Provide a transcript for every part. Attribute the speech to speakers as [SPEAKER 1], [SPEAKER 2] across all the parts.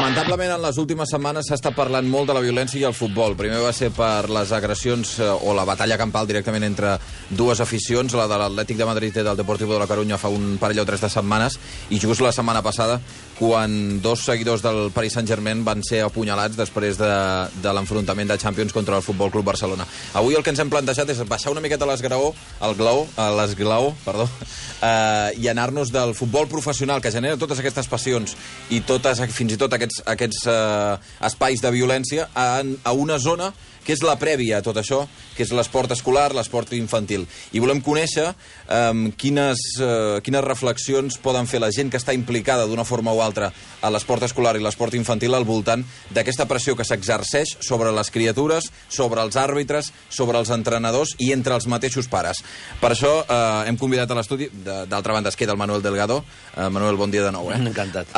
[SPEAKER 1] Lamentablement, en les últimes setmanes s'ha estat parlant molt de la violència i el futbol. Primer va ser per les agressions o la batalla campal directament entre dues aficions, la de l'Atlètic de Madrid i del Deportivo de la Coruña fa un parell o 3 de setmanes, i just la setmana passada, quan 2 seguidors del Paris Saint-Germain van ser apunyalats després de l'enfrontament de Champions contra el Futbol Club Barcelona. Avui el que ens hem plantejat és baixar una miqueta l'esglaó, i anar-nos del futbol professional que genera totes aquestes passions i fins i tot aquests espais de violència a una zona que és la prèvia a tot això, que és l'esport escolar, l'esport infantil. I volem conèixer quines reflexions poden fer la gent que està implicada d'una forma o altra a l'esport escolar i l'esport infantil al voltant d'aquesta pressió que s'exerceix sobre les criatures, sobre els àrbitres, sobre els entrenadors i entre els mateixos pares. Per això hem convidat a l'estudi, d'altra banda es queda el Manuel Delgado. Manuel, bon dia de nou.
[SPEAKER 2] Encantat.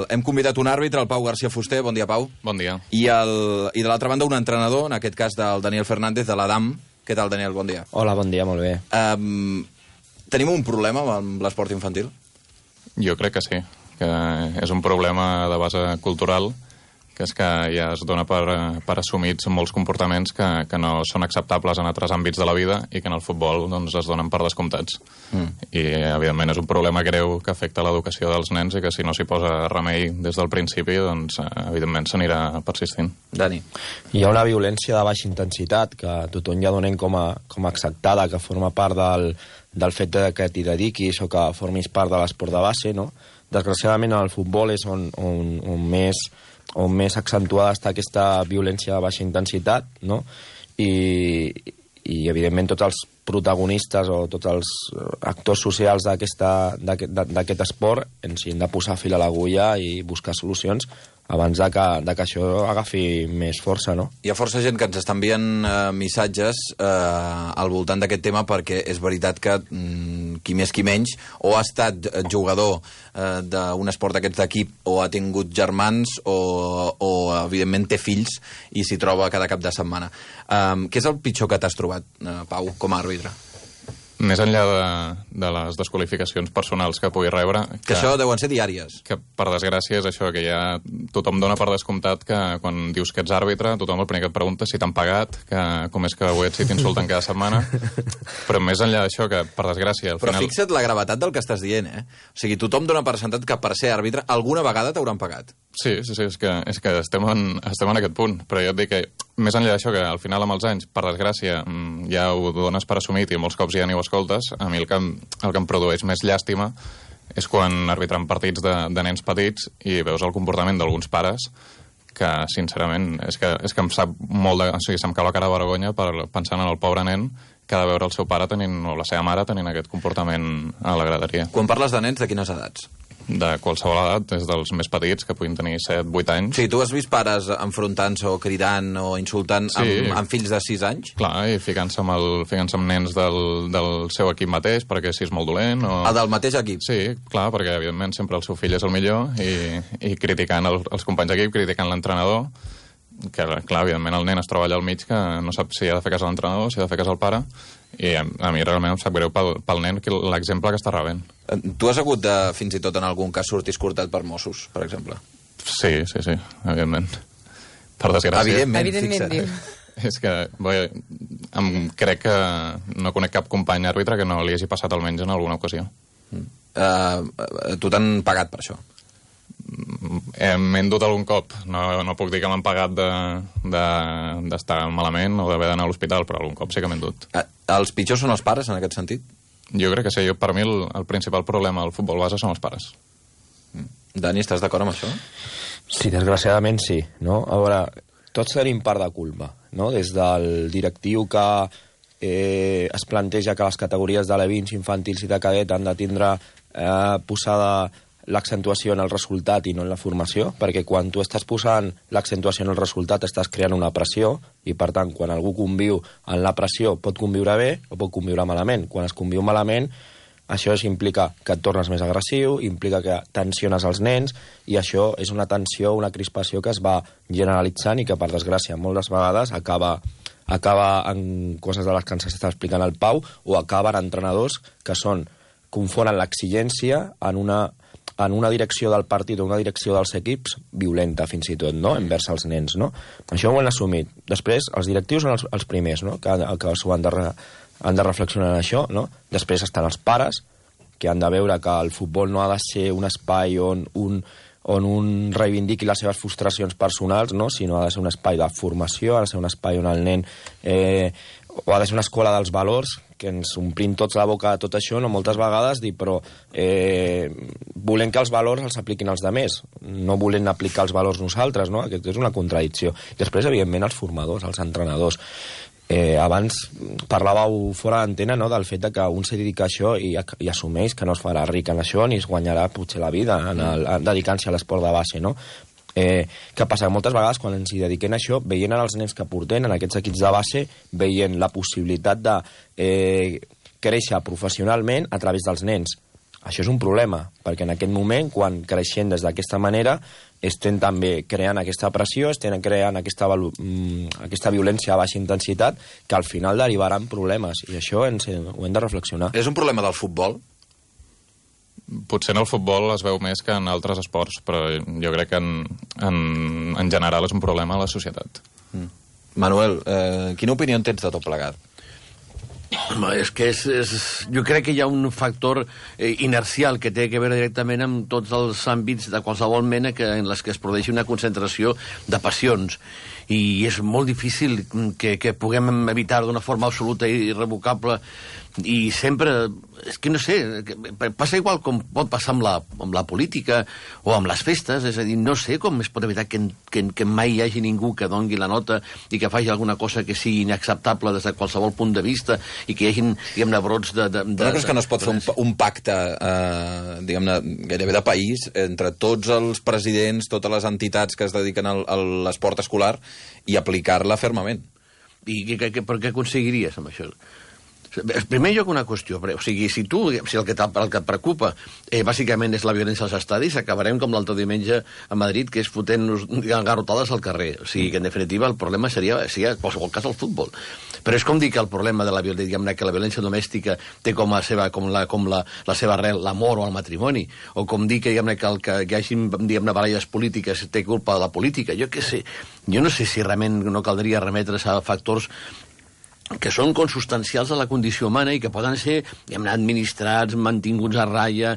[SPEAKER 1] Hem convidat un àrbitre, el Pau García Fuster. Bon dia, Pau.
[SPEAKER 3] Bon dia.
[SPEAKER 1] I de l'altra banda un entrenador, en aquest cas del Daniel Fernández, de l'Adam. Què tal, Daniel? Bon dia.
[SPEAKER 2] Hola, bon dia, molt bé.
[SPEAKER 1] Tenim un problema amb l'esport infantil?
[SPEAKER 3] Jo crec que sí, que és un problema de base cultural, que és que ja es dona per assumits molts comportaments que no són acceptables en altres àmbits de la vida i que en el futbol doncs, es donen per descomptats. I, evidentment, és un problema greu que afecta l'educació dels nens i que si no s'hi posa remei des del principi, doncs, evidentment, s'anirà persistint.
[SPEAKER 1] Dani.
[SPEAKER 2] Hi ha una violència de baixa intensitat que tothom ja donem com a acceptada, que forma part del fet que t'hi dediquis o que formis part de l'esport de base, no? Desgraciadament, el futbol és on més accentuada està aquesta violència de baixa intensitat, no? I evidentment, tots els protagonistes o tots els actors socials d'aquest esport ens hi hem de posar fil a l'agulla i buscar solucions abans de que això agafi més força, no?
[SPEAKER 1] Hi ha força gent que ens està enviant missatges al voltant d'aquest tema, perquè és veritat que qui més qui menys o ha estat jugador d'un esport d'aquests d'equip o ha tingut germans o evidentment té fills i s'hi troba cada cap de setmana. Què és el pitjor que t'has trobat, Pau, com a àrbitre?
[SPEAKER 3] Més enllà de les desqualificacions personals que pugui rebre...
[SPEAKER 1] Que això deuen ser diàries.
[SPEAKER 3] Que, per desgràcia, és això, que ja tothom dona per descomptat que quan dius que ets àrbitre, tothom el primer que et pregunta si t'han pagat, que com és que avui si t'insulten cada setmana. Però més enllà d'això, que, per desgràcia...
[SPEAKER 1] Però fixa't la gravetat del que estàs dient, eh? O sigui, tothom dona per sentat que per ser àrbitre alguna vegada t'hauran pagat.
[SPEAKER 3] Sí, és que estem en aquest punt. Però jo et dic que, més enllà d'això, que al final, amb els anys, per desgràcia, ja ho dones per assumit i molts cops ja ni ho escoltes, a mi el que em produeix més llàstima és quan arbitran partits de nens petits i veus el comportament d'alguns pares que, sincerament, és que em sap molt o sigui, se'm cau la cara de vergonya pensant en el pobre nen que ha de veure el seu pare o la seva mare tenint aquest comportament a la graderia.
[SPEAKER 1] Quan parles de nens, de quines edats?
[SPEAKER 3] De qualsevol edat, des dels més petits, que puguin tenir 7-8 anys.
[SPEAKER 1] Sí, tu has vist pares enfrontant-se o cridant o insultant amb fills de 6 anys?
[SPEAKER 3] Clar, i ficant-se amb nens del seu equip mateix, perquè si és molt dolent...
[SPEAKER 1] Del mateix equip?
[SPEAKER 3] Sí, clar, perquè evidentment sempre el seu fill és el millor i criticant els companys d'equip, criticant l'entrenador, que clar, evidentment el nen es troba allà al mig que no sap si ha de fer cas a l'entrenador, si ha de fer cas al pare, i a mi realment em sap greu pel nen l'exemple que està rebent.
[SPEAKER 1] Tu has hagut de, fins i tot en algun cas, sortir escortat per Mossos, per exemple?
[SPEAKER 3] Sí, evidentment. Per desgràcia.
[SPEAKER 1] Evidentment,
[SPEAKER 4] diu.
[SPEAKER 3] És que crec que no conec cap company àrbitre que no li hagi passat almenys en alguna ocasió.
[SPEAKER 1] Tu t'han pagat per això?
[SPEAKER 3] M'he endut algun cop. No puc dir que m'han pagat d'estar malament o d'haver d'anar a l'hospital, però algun cop sí que m'he endut.
[SPEAKER 1] Els pitjors són els pares, en aquest sentit?
[SPEAKER 3] Jo crec que sí. Per mi el principal problema del futbol base són els pares.
[SPEAKER 1] Dani, estàs d'acord amb això?
[SPEAKER 2] Sí, desgraciadament sí, no? A veure, tots tenim part de culpa, no? Des del directiu que es planteja que les categories de l'E20, infantils i de cadet han de tindre posada l'accentuació en el resultat i no en la formació, perquè quan tu estàs posant l'accentuació en el resultat estàs creant una pressió i, per tant, quan algú conviu en la pressió pot conviure bé o pot conviure malament. Quan es conviu malament, això implica que et tornes més agressiu, implica que tensiones els nens i això és una tensió, una crispació que es va generalitzant i que, per desgràcia, moltes vegades acaba en coses de les que ens està explicant el Pau o acaba en entrenadors que confonen l'exigència en una en una direcció del partit o una direcció dels equips violenta, fins i tot, no?, envers els nens, no? Això ho han assumit. Després, els directius són els primers, no?, que s'ho han de reflexionar en això, no? Després estan els pares, que han de veure que el futbol no ha de ser un espai on un reivindiqui les seves frustracions personals, no?, sinó ha de ser un espai de formació, ha de ser un espai on el nen... o ha de ser una escola dels valors, que ens omplim tots la boca de tot això, no moltes vegades, però volem que els valors els apliquin els altres, no volem aplicar els valors nosaltres, no? Aquesta és una contradicció. Després, evidentment, els formadors, els entrenadors. Abans parlàveu fora d'antena, no?, del fet de que un se dedica a això i assumeix que no es farà ric en això ni es guanyarà potser la vida dedicant-se a l'esport de base, no? Què passa? Moltes vegades quan ens hi dediquem a això, veient els nens que portem en aquests equips de base, veient la possibilitat de créixer professionalment a través dels nens. Això és un problema, perquè en aquest moment, quan creixem des d'aquesta manera, estem també creant aquesta pressió, estem creant aquesta violència a baixa intensitat, que al final derivarà en problemes, i això ho hem de reflexionar.
[SPEAKER 1] És un problema del futbol?
[SPEAKER 3] Potser en el futbol es veu més que en altres esports, però jo crec que en general és un problema a la societat.
[SPEAKER 1] Manuel, quina opinió en tens de tot plegat?
[SPEAKER 4] És que jo crec que hi ha un factor inercial que té a veure directament amb tots els àmbits de qualsevol mena en les que es produeixi una concentració de passions, i és molt difícil que puguem evitar d'una forma absoluta i irrevocable, i sempre, és que no sé, passa igual com pot passar amb la política o amb les festes, és a dir, no sé com es pot evitar que mai hi hagi ningú que dongui la nota i que faci alguna cosa que sigui inacceptable des de qualsevol punt de vista, i que hi hagin, diguem-ne, brots de...
[SPEAKER 1] No creus que no es pot fer un pacte, diguem-ne, gairebé de país, entre tots els presidents, totes les entitats que es dediquen a l'esport escolar, i aplicar-la fermament?
[SPEAKER 4] I per què aconseguiries amb això? En primer lloc, una qüestió. O sigui, si el que et preocupa bàsicament és la violència als estadis, acabarem com l'altre diumenge a Madrid, que és fotent-nos garrotades al carrer. O sigui, que en definitiva el problema seria en qualsevol cas el futbol. Però és com dir que el problema de la violència domèstica té com la seva arrel l'amor o el matrimoni, o com dir que hi hagi baralles polítiques té culpa de la política. Jo què sé. Jo no sé si realment no caldria remetre's a factors que són consubstancials a la condició humana i que poden ser administrats, mantinguts a ratlla,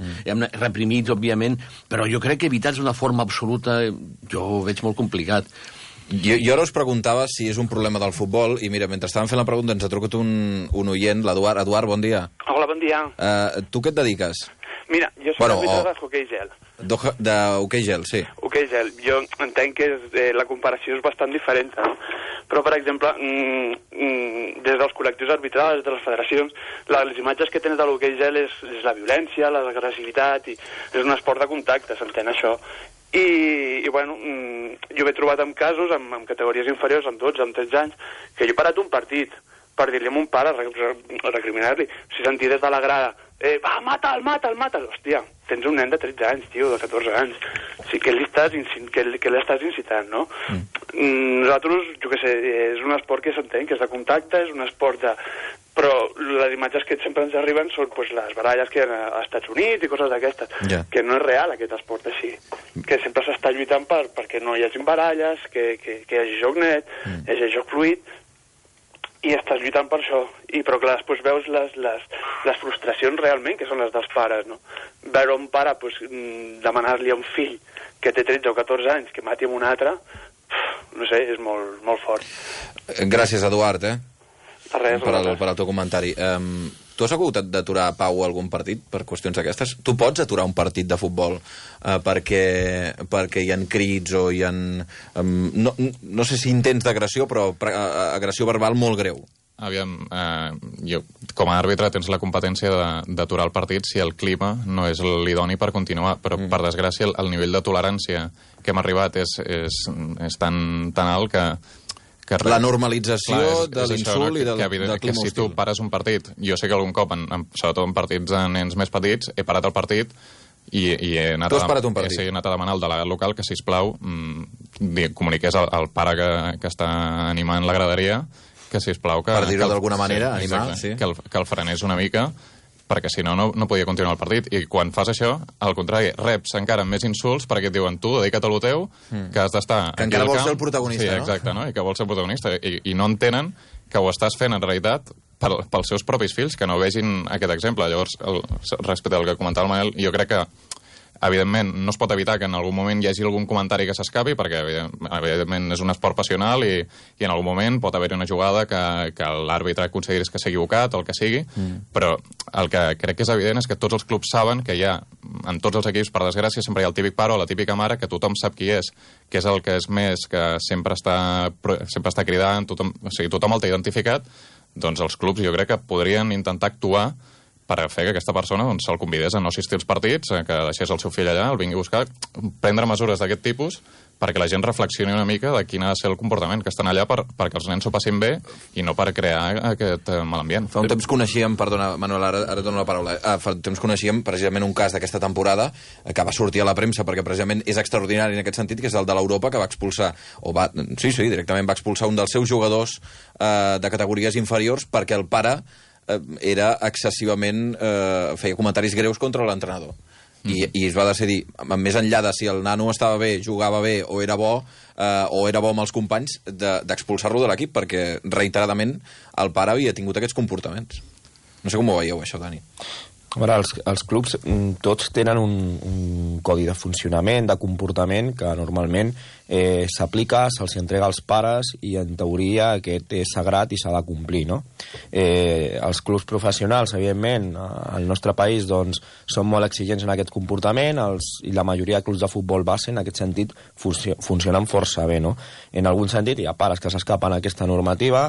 [SPEAKER 4] reprimits, òbviament, però jo crec que evitats d'una forma absoluta jo ho veig molt complicat.
[SPEAKER 1] Jo ara us preguntava si és un problema del futbol, i mira, mentre estàvem fent la pregunta ens ha trucat un oient, l'Eduard. Eduard, bon dia.
[SPEAKER 5] Hola, bon dia.
[SPEAKER 1] Tu què et dediques?
[SPEAKER 5] Mira, jo soc àrbitre d'hoquei gel.
[SPEAKER 1] D'hoquei gel, sí.
[SPEAKER 5] Hoquei gel. Jo entenc que la comparació és bastant diferent, no? Però, per exemple, des dels col·lectius arbitrals, de les federacions, les imatges que tens de l'hoquei gel és la violència, l'agressivitat, i és un esport de contacte, s'entén això. I bueno, jo m'he trobat en casos, amb categories inferiors, amb 12, amb 13 anys, que jo he parat un partit per dir-li a mon pare, recriminar-li, si sentir des de la grada, va, mata'l. Hòstia, tens un nen de 13 anys, tio, de 14 anys. O sigui, què l'estàs incitant, no? Nosaltres, jo què sé, és un esport que s'entén, que és de contacte, és un esport de... Però les imatges que sempre ens arriben són les baralles que hi ha als Estats Units i coses d'aquestes, que no és real aquest esport així, que sempre s'està lluitant perquè no hi hagi baralles, que hi hagi joc net, hi hagi joc fluid, i estàs lluitant per això. Però clar, després veus les frustracions realment, que són les dels pares, no? Veure un pare demanar-li a un fill que té 13 o 14 anys que mati amb un altre, no sé, és molt, molt fort.
[SPEAKER 1] Gràcies, Eduard,
[SPEAKER 5] Res,
[SPEAKER 1] per al teu comentari. Tu has hagut d'aturar, Pau, algun partit per qüestions d'aquestes? Tu pots aturar un partit de futbol perquè hi ha crits o hi ha... No sé si intents d'agressió, però agressió verbal molt greu.
[SPEAKER 3] Aviam, jo, com a àrbitre tens la competència d'aturar el partit si el clima no és l'idoni per continuar, però per desgràcia el nivell de tolerància que hem arribat és tan alt que
[SPEAKER 1] la normalització de l'insult i del clima
[SPEAKER 3] hostil. Si tu pares un partit, jo sé que algun cop, sobretot en partits de nens més petits, he parat el partit i he anat a demanar al delegat local que, sisplau, comuniqués al pare que està animant la graderia que, sisplau...
[SPEAKER 1] Per dir-ho d'alguna manera, animar,
[SPEAKER 3] que el frenés una mica, perquè si no, no podia continuar el partit. I quan fas això, al contrari, reps encara més insults perquè et diuen tu, dedica't a lo teu, que has d'estar...
[SPEAKER 1] Que encara vols ser el protagonista,
[SPEAKER 3] no? Sí, exacte, no? I que vols ser el protagonista. I no entenen que ho estàs fent, en realitat, pels seus propis fills, que no vegin aquest exemple. Llavors, respecte al que comentava el Manel, jo crec que evidentment, no es pot evitar que en algun moment hi hagi algun comentari que s'escapi, perquè evidentment és un esport passional i en algun moment pot haver-hi una jugada que l'àrbitre consideris que s'ha equivocat o el que sigui, però el que crec que és evident és que tots els clubs saben que hi ha, en tots els equips, per desgràcia, sempre hi ha el típic pare o la típica mare que tothom sap qui és, que és el que és més, que sempre està cridant, o sigui, tothom el té identificat, doncs els clubs jo crec que podrien intentar actuar per fer que aquesta persona se'l convidés a no assistir als partits, que deixés el seu fill allà, el vingui a buscar, prendre mesures d'aquest tipus perquè la gent reflexioni una mica de quin ha de ser el comportament, que estan allà perquè els nens s'ho passin bé i no per crear aquest mal ambient.
[SPEAKER 1] Fa un temps coneixíem, perdona, Manuel, ara dono la paraula, fa un temps coneixíem precisament un cas d'aquesta temporada que va sortir a la premsa perquè precisament és extraordinari en aquest sentit, que és el de l'Europa, que va expulsar, directament va expulsar un dels seus jugadors de categories inferiors perquè el pare era excessivament... feia comentaris greus contra l'entrenador. I es va decidir, més enllà de si el nano estava bé, jugava bé o era bo amb els companys, d'expulsar-lo de l'equip, perquè reiteradament el pare havia tingut aquests comportaments. No sé com ho veieu, això, Dani.
[SPEAKER 2] A veure, els clubs tots tenen un codi de funcionament, de comportament, que normalment s'aplica, se'ls entrega als pares i en teoria aquest és sagrat i s'ha de complir, no? Els clubs professionals, evidentment, al nostre país doncs, són molt exigents en aquest comportament i la majoria de clubs de futbol base en aquest sentit funcionen força bé, no? En algun sentit hi ha pares que s'escapen a aquesta normativa,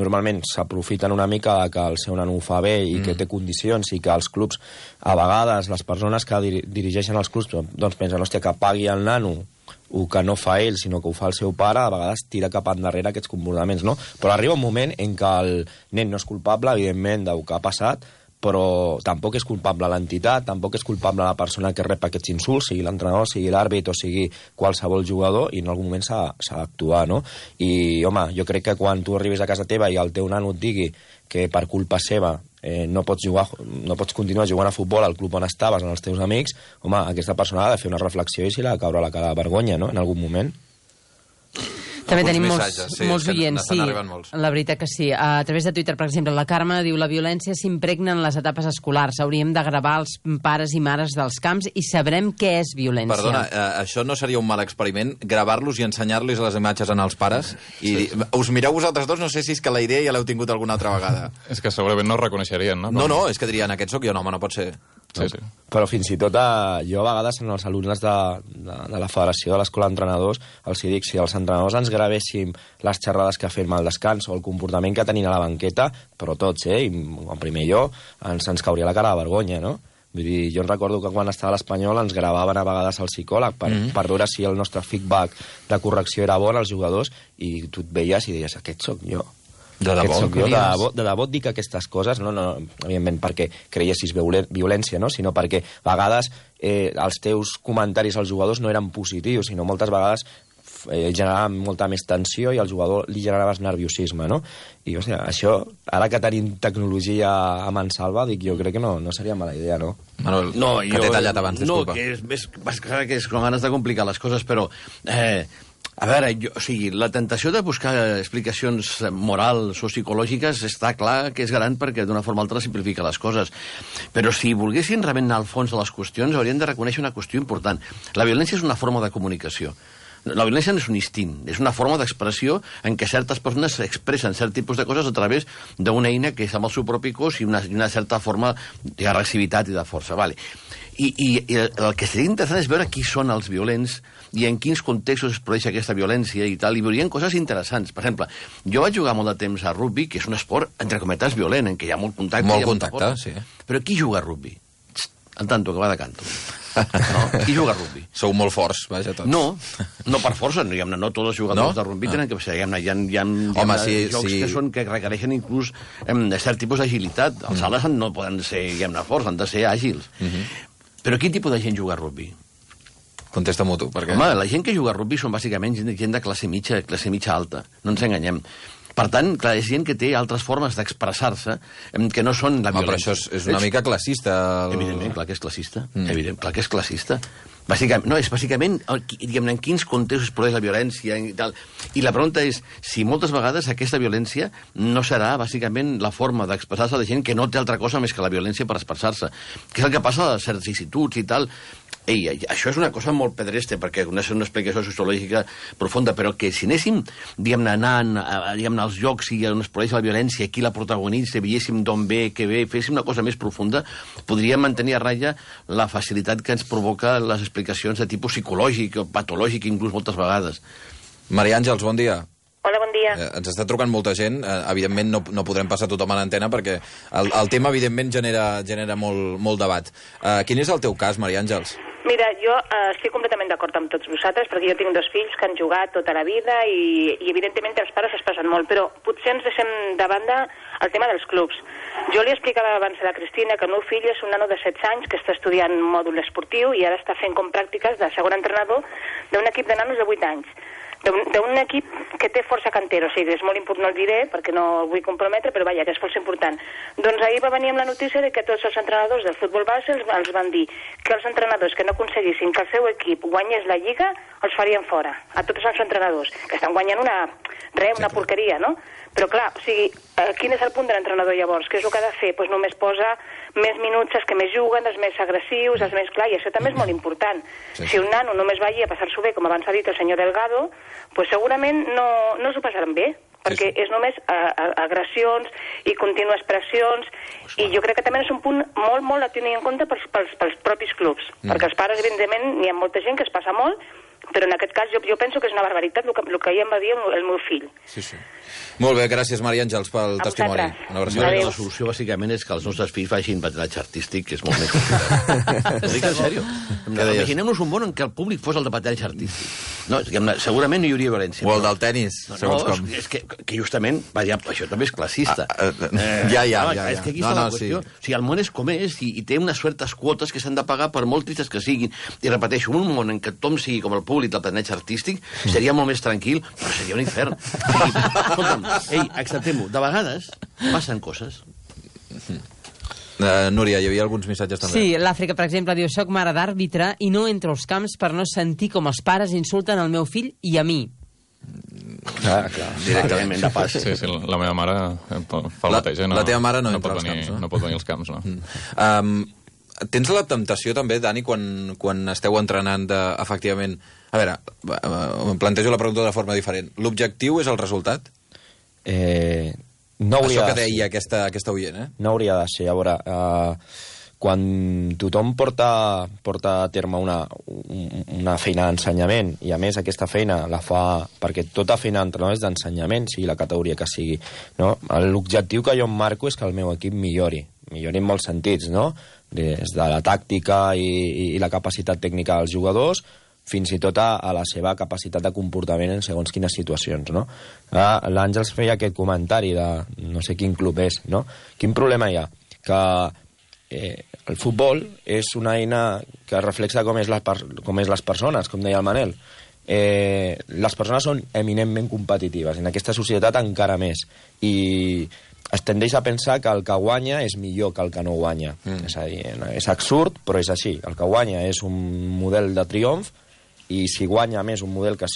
[SPEAKER 2] normalment s'aprofiten una mica que el seu nano ho fa bé i que té condicions i que els clubs, a vegades les persones que dirigeixen els clubs doncs pensen, hòstia, que pagui el nano o que no fa ell, sinó que ho fa el seu pare, a vegades tira cap endarrere aquests comportaments, no? Però arriba un moment en què el nen no és culpable, evidentment, del que ha passat, però tampoc és culpable l'entitat, tampoc és culpable la persona que rep aquests insults, sigui l'entrenador, sigui l'àrbit o sigui qualsevol jugador, i en algun moment s'ha d'actuar, no? I, home, jo crec que quan tu arribis a casa teva i el teu nano et digui que per culpa seva no pots continuar jugant a futbol al club on estaves, amb els teus amics, home, aquesta persona ha de fer una reflexió i s'hi ha de caure la cara de vergonya, no?, en algun moment.
[SPEAKER 6] També tenim molts oients, sí, la veritat que sí. A través de Twitter, per exemple, la Carme diu: la violència s'impregna en les etapes escolars. Hauríem de gravar els pares i mares dels camps i sabrem què és violència.
[SPEAKER 1] Perdona, això no seria un mal experiment? Gravar-los i ensenyar-los les imatges als pares? I us mireu vosaltres dos, no sé si és que la idea ja l'heu tingut alguna altra vegada.
[SPEAKER 3] És que segurament no ho reconeixerien, no?
[SPEAKER 1] No, és que dirien, aquest sóc jo, no, home, no pot ser...
[SPEAKER 3] Sí.
[SPEAKER 2] Però fins i tot jo a vegades en els alumnes de la Federació de l'Escola d'Entrenadors els dic, si els entrenadors ens gravéssim les xerrades que fem al descans o el comportament que tenim a la banqueta, però tots, i en primer jo, ens cauria la cara de vergonya, no? Vull dir, jo recordo que quan estava a l'Espanyol ens gravaven a vegades el psicòleg per veure si el nostre feedback de correcció era bon als jugadors, i tu et veies i deies, aquest sóc jo.
[SPEAKER 1] De
[SPEAKER 2] debò et dic aquestes coses, no evidentment perquè creiessis violència, no? Sinó perquè a vegades els teus comentaris als jugadors no eren positius, sinó moltes vegades generaven molta més tensió i al jugador li generaves nerviosisme, no? I, o sigui, això, ara que tenim tecnologia a mansalva, dic, jo crec que no seria mala idea, no?
[SPEAKER 1] Manuel, que t'he tallat abans, disculpa.
[SPEAKER 4] No, que és com ganes de complicar les coses, però... A veure, la tentació de buscar explicacions morals o psicològiques està clar que és gran perquè d'una forma o altra simplifica les coses. Però si volguessin realment anar al fons de les qüestions, haurien de reconèixer una qüestió important. La violència és una forma de comunicació. La violència no és un instint, és una forma d'expressió en què certes persones expressen cert tipus de coses a través d'una eina que és amb el seu propi cos i una certa forma d'agressivitat i de força. Vale. I el que seria interessant és veure qui són els violents i en quins contextos es produeix aquesta violència i tal, i veurien coses interessants. Per exemple, jo vaig jugar molt de temps a rugby, que és un esport, entre cometes, violent, en què hi ha molt contacte.
[SPEAKER 1] Molt contacte, sí.
[SPEAKER 4] Però qui juga a rugby? El tanto, que va de canto. No? Qui juga a rugby?
[SPEAKER 1] Sou molt forts, vaja, tots.
[SPEAKER 4] No per força, no tots els jugadors de rugby tenen que ser. Hi ha jocs que requereixen inclús cert tipus d'agilitat. Els ales no poden ser forts, han de ser àgils. Però quin tipus de gent juga a rugby?
[SPEAKER 1] Contesta-m'ho tu, perquè...
[SPEAKER 4] Home, la gent que juga a rugby són bàsicament gent de classe mitja alta. No ens enganyem. Per tant, clar, és gent que té altres formes d'expressar-se que no són la violència.
[SPEAKER 1] Però això és una mica classista.
[SPEAKER 4] Evidentment, clar que és classista. Evident, clar que és classista. Bàsicament, és bàsicament, diguem-ne, en quins contextos es produeix la violència i tal. I la pregunta és si moltes vegades aquesta violència no serà, bàsicament, la forma d'expressar-se de gent que no té altra cosa més que la violència per expressar-se. Que és el que passa a certes instituts i tal. Ei, això és una cosa molt pedreste, perquè no és una explicació sociològica profunda, però que si anéssim, diguem-ne, anant als llocs i on es produeix la violència, qui la protagonitza, veiéssim d'on ve, què ve, féssim una cosa més profunda, podríem mantenir a ratlla la facilitat que ens provoca les explicacions de tipus psicològic o patològic, inclús moltes vegades.
[SPEAKER 1] Maria Àngels, bon dia.
[SPEAKER 7] Hola, bon dia.
[SPEAKER 1] Ens està trucant molta gent. Evidentment no podrem passar tothom a l'antena perquè el tema, evidentment, genera molt debat. Quin és el teu cas, Maria Àngels?
[SPEAKER 7] Mira, jo estic completament d'acord amb tots vosaltres, perquè jo tinc 2 fills que han jugat tota la vida i evidentment els pares es passen molt, però potser ens deixem de banda el tema dels clubs. Jo li explicava abans a la Cristina que el meu fill és un nano de 16 anys que està estudiant mòdul esportiu i ara està fent com pràctiques de segon entrenador d'un equip de nanos de 8 anys. D'un equip que té força cantera, o sigui, és molt important, no el diré perquè no el vull comprometre, però vaja, que és força important. Doncs ahir va venir amb la notícia de que tots els entrenadors del futbol base els van dir que els entrenadors que no aconseguissin que el seu equip guanyés la Lliga els farien fora, a tots els entrenadors, que estan guanyant una porqueria, no? Però clar, o sigui, quin és el punt de l'entrenador llavors? Què és el que ha de fer? Doncs només posa més minuts els que més juguen, els més agressius, els més clar, i això també és molt important. Sí. Si un nano només va allí a passar-s'ho bé, com abans ha dit el senyor Delgado, pues segurament no s'ho passaran bé, perquè és només agressions i contínues pressions, i jo crec que també és un punt molt a tenir en compte pels propis clubs, perquè els pares, evidentment, n'hi ha molta gent que es passa molt, però en aquest cas jo penso que és una barbaritat el que ahir em va dir el meu fill.
[SPEAKER 1] Sí. Molt bé, gràcies, Maria Àngels, pel testimoni.
[SPEAKER 4] La solució, bàsicament, és que els nostres fills facin patinatge artístic, que és molt més complicat. Ho dic en sèrio. Imaginem-nos un món en què el públic fos el de patinatge artístic. No, segurament no hi hauria violència.
[SPEAKER 1] O el del tenis, segons com.
[SPEAKER 4] És que justament, això també és classista.
[SPEAKER 1] Ja.
[SPEAKER 4] És que aquí està la qüestió. O sigui, el món és com és i té unes certes quotes que s'han de pagar per molt tristes que siguin. I repeteixo, un món en què tothom sigui com el públic del patinatge artístic seria molt més tranquil, però seria un infern. Escolta'm, acceptem-ho. De vegades passen coses.
[SPEAKER 1] Núria, hi havia alguns missatges també.
[SPEAKER 6] Sí, l'Àfrica, per exemple, diu: soc mare d'àrbitre i no entro als camps per no sentir com els pares insulten el meu fill i a mi.
[SPEAKER 4] Clar, directament de pas.
[SPEAKER 3] Sí, la meva mare fa el mateix.
[SPEAKER 1] La teva mare no entra als camps, no?
[SPEAKER 3] No pot venir als camps, no.
[SPEAKER 1] Tens la temptació també, Dani, quan esteu entrenant efectivament... A veure, em plantejo la pregunta de forma diferent. L'objectiu és el resultat?
[SPEAKER 2] No hauria
[SPEAKER 1] això que deia aquesta oient,
[SPEAKER 2] No hauria de ser. A veure, quan tothom porta a terme una feina d'ensenyament, i a més aquesta feina la fa perquè tota feina d'entrenador és d'ensenyament, sigui la categoria que sigui, no? L'objectiu que jo em marco és que el meu equip millori en molts sentits, no? Des de la tàctica i la capacitat tècnica dels jugadors fins i tot a la seva capacitat de comportament en segons quines situacions, no? L'Àngels feia aquest comentari de no sé quin club és, no? Quin problema hi ha? Que el futbol és una eina que reflexa com és les persones, com deia el Manel. Les persones són eminentment competitives, en aquesta societat encara més, i es tendeix a pensar que el que guanya és millor que el que no guanya. És a dir, és absurd, però és així. El que guanya és un model de triomf, i si guanya més un model que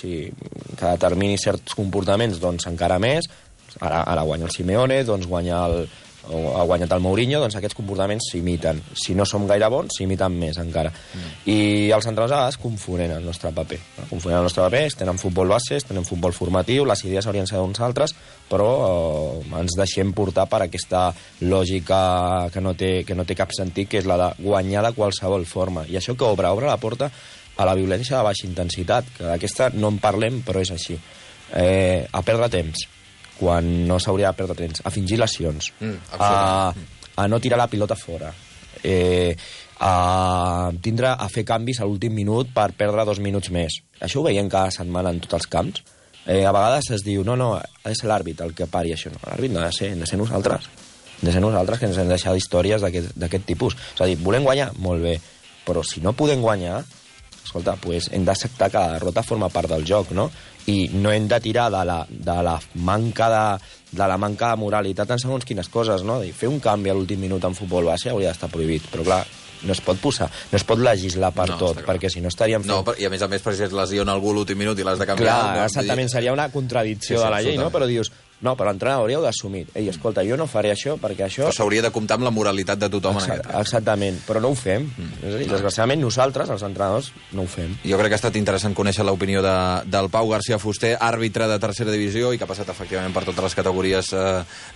[SPEAKER 2] determini certs comportaments, doncs encara més. Ara guanya el Simeone, doncs ha guanyat el Mourinho, doncs aquests comportaments s'imiten. Si no som gaire bons, s'imiten més encara. I els entrenadors a vegades confonen el nostre paper. Tenen futbol base, tenen futbol formatiu, les idees haurien de ser d'uns altres, però ens deixem portar per aquesta lògica que no té cap sentit, que és la de guanyar de qualsevol forma. I això que obre la porta a la violència de baixa intensitat, que d'aquesta no en parlem, però és així. A perdre temps, quan no s'hauria de perdre temps, a fingir lesions, a no tirar la pilota fora, a fer canvis a l'últim minut per perdre 2 minuts més. Això ho veiem cada setmana en tots els camps. A vegades es diu, no, ha de ser l'àrbit el que pari això. No, l'àrbit no ha de ser, hem de ser nosaltres. Hem de ser nosaltres que ens hem deixat històries d'aquest tipus. És a dir, volem guanyar? Molt bé. Però si no podem guanyar, escolta, pues hem d'acceptar que la derrota forma part del joc, no? I no hem de tirar de la manca de moralitat en segons quines coses, no? Fer un canvi a l'últim minut en futbol base hauria d'estar prohibit, però clar, no es pot legislar per tot, perquè si no estaríem fent...
[SPEAKER 1] No, i a més, per si es lesiona algú a l'últim minut i l'has de canviar...
[SPEAKER 2] Clar, exactament, seria una contradicció de la llei, no? Però dius, no, però l'entrenador hauríeu d'assumir. Ei, escolta, jo no faré això perquè això...
[SPEAKER 1] Però s'hauria de comptar amb la moralitat de tothom en aquest cas.
[SPEAKER 2] Exactament, però no ho fem. És a dir, desgraciadament nosaltres, els entrenadors, no ho fem.
[SPEAKER 1] Jo crec que ha estat interessant conèixer l'opinió del Pau García Fuster, àrbitre de tercera divisió i que ha passat efectivament per totes les categories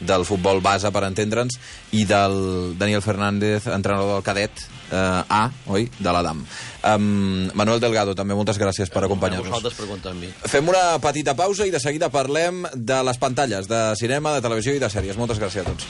[SPEAKER 1] del futbol base, per entendre'ns, i del Daniel Fernández, entrenador del cadet A, oi? De l'Adam. Manuel Delgado, també moltes gràcies per acompanyar-nos.
[SPEAKER 4] Vosaltres pregunteu a mi.
[SPEAKER 1] Fem una petita pausa i de seguida parlem de les pantalles, de cinema, de televisió i de sèries. Moltes gràcies a tots.